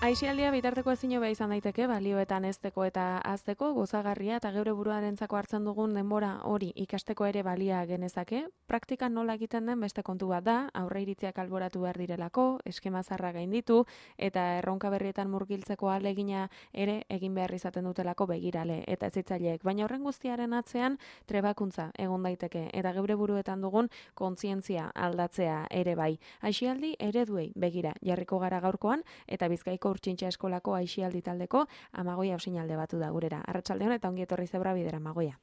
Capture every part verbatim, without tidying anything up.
Aisialdia bitarteko ezin hobea izan daiteke, balioetan hezteko eta hazteko, gozagarria eta geure buruarentzako hartzen dugun denbora hori ikasteko ere balia genezake. Praktikan nola egiten den beste kontu bat da, aurreiritziak alboratu behar direlako, eskema zarra gainditu eta erronka berrietan murgiltzeko ahalegina ere egin behar izaten dutelako begirale eta hezitzaileek. Baina horren guztiaren atzean trebakuntza egon daiteke eta geure buruetan dugun kontzientzia aldatzea ere bai. Aisialdi ereduei begira jarriko gara gaurkoan eta Bizkaiko Urtsintxa Eskolako aisialdi taldeko Amagoia Osinalde batu da gurera. Arratsaldeon eta ongi etorri Zebra bidera Amagoia.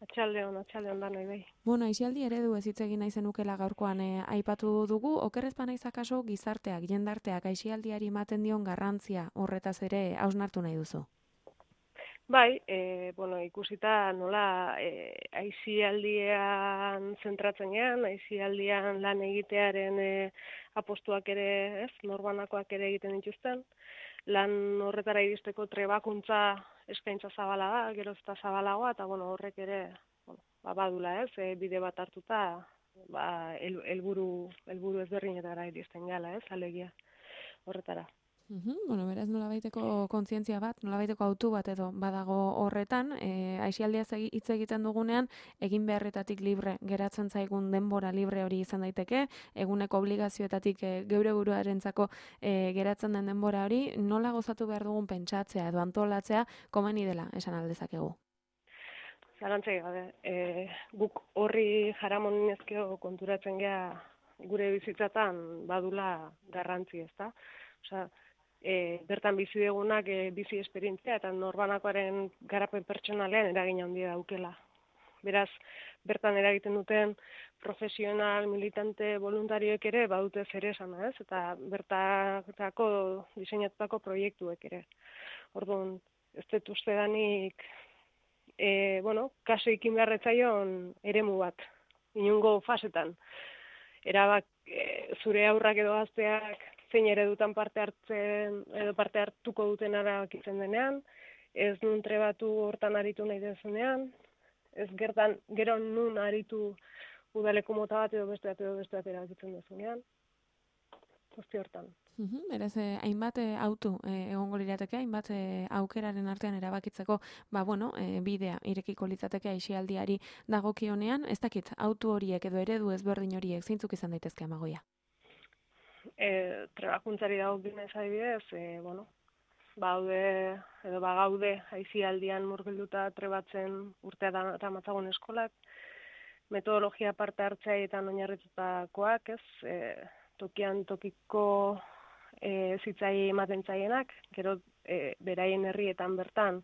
Atxaldeon, atxaldeon da noi bai. Bueno, aisialdi eredu ez hitz egin nahi zenukela gaurkoan eh, aipatu dugu, okerrez banaiz akaso gizarteak, jendarteak aisialdiari ematen dion garrantzia horretaz ere hausnartu nahi duzu. Bai, e, bueno, ikusita nola e, aisialdian zentratzen gean, aisialdian lan egitearen e, apostuak ere, ez, norbanakoak ere egiten dituzten, lan horretara iristeko trebakuntza eskaintza zabala da, gero eta zabalagoa, eta bueno, horrek ere, bueno, ba, badula, ez, e, bide bat hartuta, ba, el, elburu, elburu ezberdinetara iristen gala, ez, alegia horretara. Uhum, bueno, beraz nolabaiteko kontzientzia bat, nolabaiteko autu bat edo badago horretan, e, aisialdiaz hitz egiten dugunean, egin beharretatik libre geratzen zaigun denbora libre hori izan daiteke, eguneko obligazioetatik e, geure buruarentzako e, geratzen den denbora hori, nola gozatu behar dugun pentsatzea edo antolatzea komeni dela esan aldezakegu. Zalantzai gabe, e, guk horri jaramonin ezkeo konturatzen gea gure bizitzatan badula garrantzi, ezta? Osea, E, bertan bizi degunak e, bizi esperientzia eta norbanakoaren garapen pertsonalean eragin handia daukela. Beraz, bertan eragiten duten profesional, militante, voluntarioek ere badute zer esana, ez? Eta bertako diseinatutako proiektuek ere. Orduan, ez dut uste danik, e, bueno, kaso ikin beharretzaion eremu bat, inungo fasetan. Erabak, e, zure aurrak edo gazteak zein eredutan parte hartzen edo parte hartuko duten erabakitzen denean, ez nun trebatu hortan aritu nahi dezunean, ez gertan gero nun aritu udaleko mota bat edo beste bat edo beste bat erabakitzen dezunean, guzti hortan. Uhum, beraz, eh, hainbat eh, autu eh, egongo lirateke, hainbat eh, aukeraren artean erabakitzeko, ba bueno, eh, bidea irekiko litzateke aisialdiari dagokionean, ez dakit, autu horiek edo eredu ezberdin horiek zeintzuk izan daitezke Amagoia? E, trebakuntzari dagokionez adibidez, e, bueno, baude edo bagaude aisialdian murgilduta trebatzen urtea da matzagon eskolak, metodologia parte hartzeetan oinarritutakoak, ez, e, tokian tokiko e, zitzai ematen zaienak, gero e, beraien herrietan bertan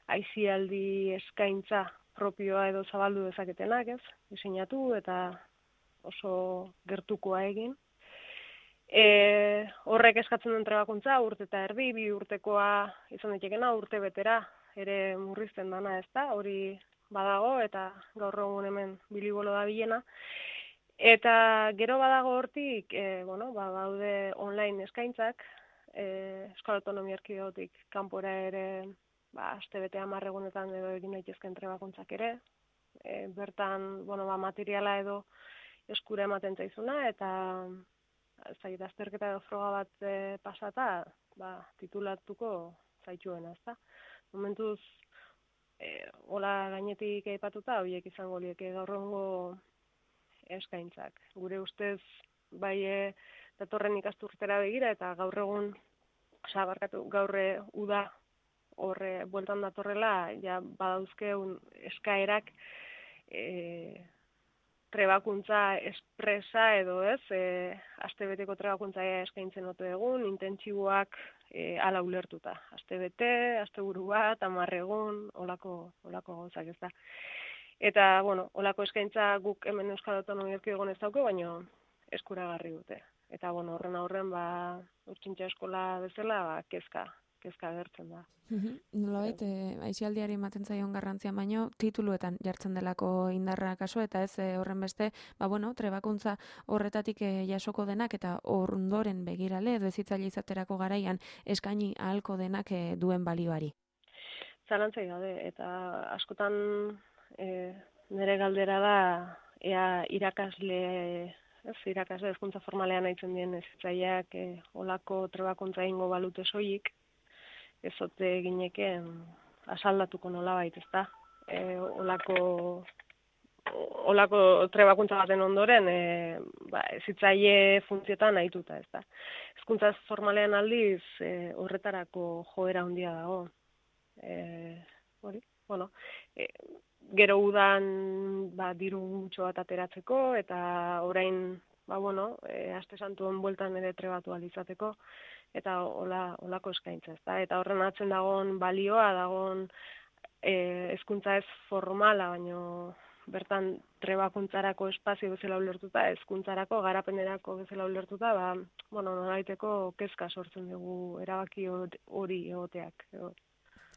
aisialdi eskaintza propioa edo zabaldu dezaketenak, ez, diseinatu eta oso gertukoa egin. E, horrek eskatzen duen trebakuntza, urte eta erdi, bi urtekoa izan daitekena, urte betera ere murrizten dana, ez da, hori badago eta gaur egun hemen bilibolo da bilena. Eta gero badago hortik, e, bueno, ba, baude online eskaintzak, e, Euskal Autonomia Erkidegotik kanpora ere, ba, aste bete hamar egunetan edo egin daitezken trebakuntzak ere, e, bertan, bueno, ba, materiala edo eskura ematen zaizuna, eta zait, azterketa edo froga bat e, pasata, ba, titulatuko zaituena, ezta. Momentuz, e, hola gainetik aipatuta, horiek izango lieke gaur egungo eskaintzak. Gure ustez, bai e, datorren ikasturtera begira, eta gaur egun, oza, barkatu, gaurre uda horre bueltan datorrela, ja badauzkeun eskaerak, e, trebakuntza espresa edo ez, e, astebeteko trebakuntza eskaintzen ote egun, intentsiboak e, ala ulertuta. Astebete, asteburu bat, hamar egun, olako, olako gauzak ez da. Eta, bueno, olako eskaintza guk hemen Euskal Autonomia Erkidegoan ez dauke, baina eskuragarri dute. Eta, bueno, horren aurren, ba, Urtsintxa Eskola bezala, ba, kezka, kezka agertzen da. Nolabait, eh, aisialdiari ematen zaion garrantzia baino tituluetan jartzen delako indarra kaso eta ez eh, horren beste, ba bueno, trebakuntza horretatik eh, jasoko denak eta ondoren begirale edo hezitzaile izaterako garaian eskaini ahalko denak eh, duen balioari. Zalantzai daude eta askotan eh, nire galdera da ea irakasle ez, irakasle hezkuntza formalean aitzen dien hezitzaileak e, olako trebakuntza egingo balute soilik, ez ote gineken asaldatuko nolabait, ezta? E, olako olako trebakuntza baten ondoren, e, ba, hezitzaile funtziotan ahituta, ezta? Hezkuntza formalean aldiz e, horretarako joera handia dago. E, hori, bueno, e, gero udan ba, diru gutxo bat ateratzeko, eta orain, ba, bueno, e, aste santuen bueltan ere trebatu alizateko, eta hola, holako eskaintza, ezta? Eta horren atzen dagoen balioa, dagoen e, hezkuntza ez formala, baino bertan trebakuntzarako espazio bezala ulertuta, hezkuntzarako garapenerako bezala ulertuta, ba, bueno, nolabaiteko kezka sortzen dugu erabaki hori egoteak.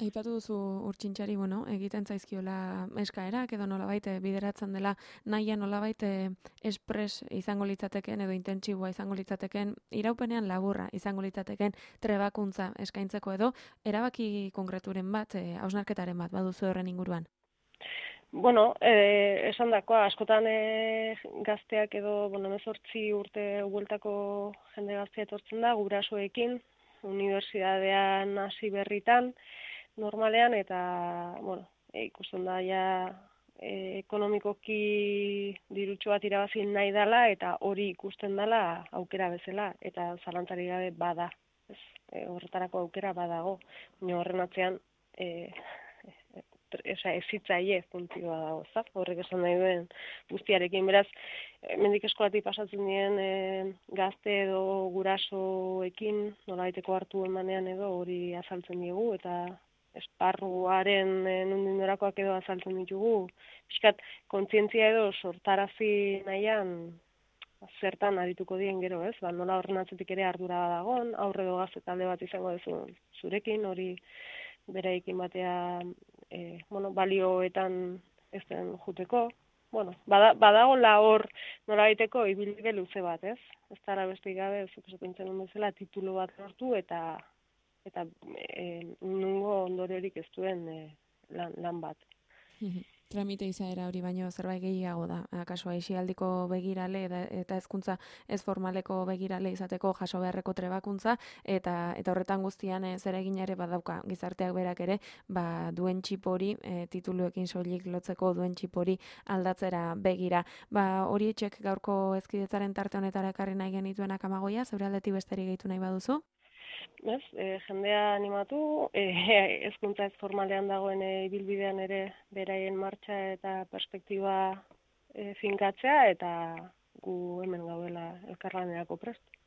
Aipatu duzu Urtsintxari, bueno, egiten zaizkiola eskaerak edo nolabait bideratzen dela nahia nolabait espres izango litzateken edo intentsiboa izango litzateken, iraupenean laburra izango litzateken trebakuntza eskaintzeko edo erabaki konkreturen bat, hausnarketaren bat baduzu horren inguruan. Bueno, eh, esan dakoa, askotan eh, gazteak edo, bueno, hemezortzi urte bueltako jende gaztea etortzen da, gurasoekin, unibertsitatean hasi berritan, normalean, eta, bueno, e, ikusten da, ja, e, ekonomikoki dirutxo bat irabazi nahi dela, eta hori ikusten dela aukera bezala, eta zalantzari gabe bada, ez, e, horretarako aukera badago, baina horren atzean, e, Esa, ezitzaile funtzioa dago, zak? Horrek esan nahi duen guztiarekin. Beraz, mendik eskolatik pasatzen dien e, gazte edo gurasoekin, nolabaiteko hartu emanean edo hori azaltzen diegu, eta esparruaren e, nondik norakoak edo azaltzen ditugu. Piskat, kontzientzia edo sortarazi nahian zertan arituko dien gero, ez? Ba, nola horren atzetik ere ardura dagoen, aurre edo gazte talde bat izango duzu zurekin, hori beraikin batea E, bueno, balioetan ez den juteko. Bueno, bada, badagola hor nolabaiteko ibilbide luze bat, ez? Ez dara beste gabe, zuk esaten zen bezala, titulu bat lortu eta eta e, nungo ondoriorik ez duen e, lan, lan bat. Tramite izaera hori baino zerbait gehiago da. Akaso aisialdiko begirale eta, eta hezkuntza ez formaleko begirale izateko jaso beharreko trebakuntza eta eta horretan guztian e, zeregin ere badauka gizarteak berak ere, ba duen txip hori e, tituluekin soilik lotzeko duen txip hori aldatzera begira. Ba hori etxek gaurko hezkidetzaren tarte honetara ekarri nahi genituenak Amagoia, zeure aldetik besterik gehitu nahi baduzu? Ez, e, jendea animatu, e, hezkuntza ez formalean dagoen ibilbidean ere beraien martxa eta perspektiba e, finkatzea, eta gu hemen gaudela elkarlanerako prest.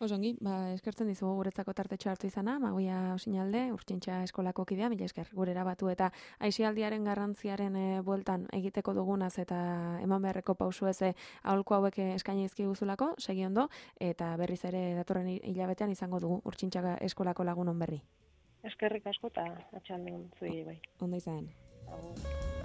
Osongi, ba, eskertzen dizugu guretzako tartetxo hartu izana, Amagoia Osinalde, Urtsintxa eskolako kidea, mila esker gurera batu eta aisialdiaren garrantziaren e, bueltan egiteko dugunaz eta eman beharreko pausu eze aholku hauek eskaini dizkiguzulako, segi ondo, eta berriz ere datorren hilabetean izango dugu Urtsintxa eskolako lagunon berri. Eskerrik asko eta atxaldeon zuei bai. Ondo izan. Agur.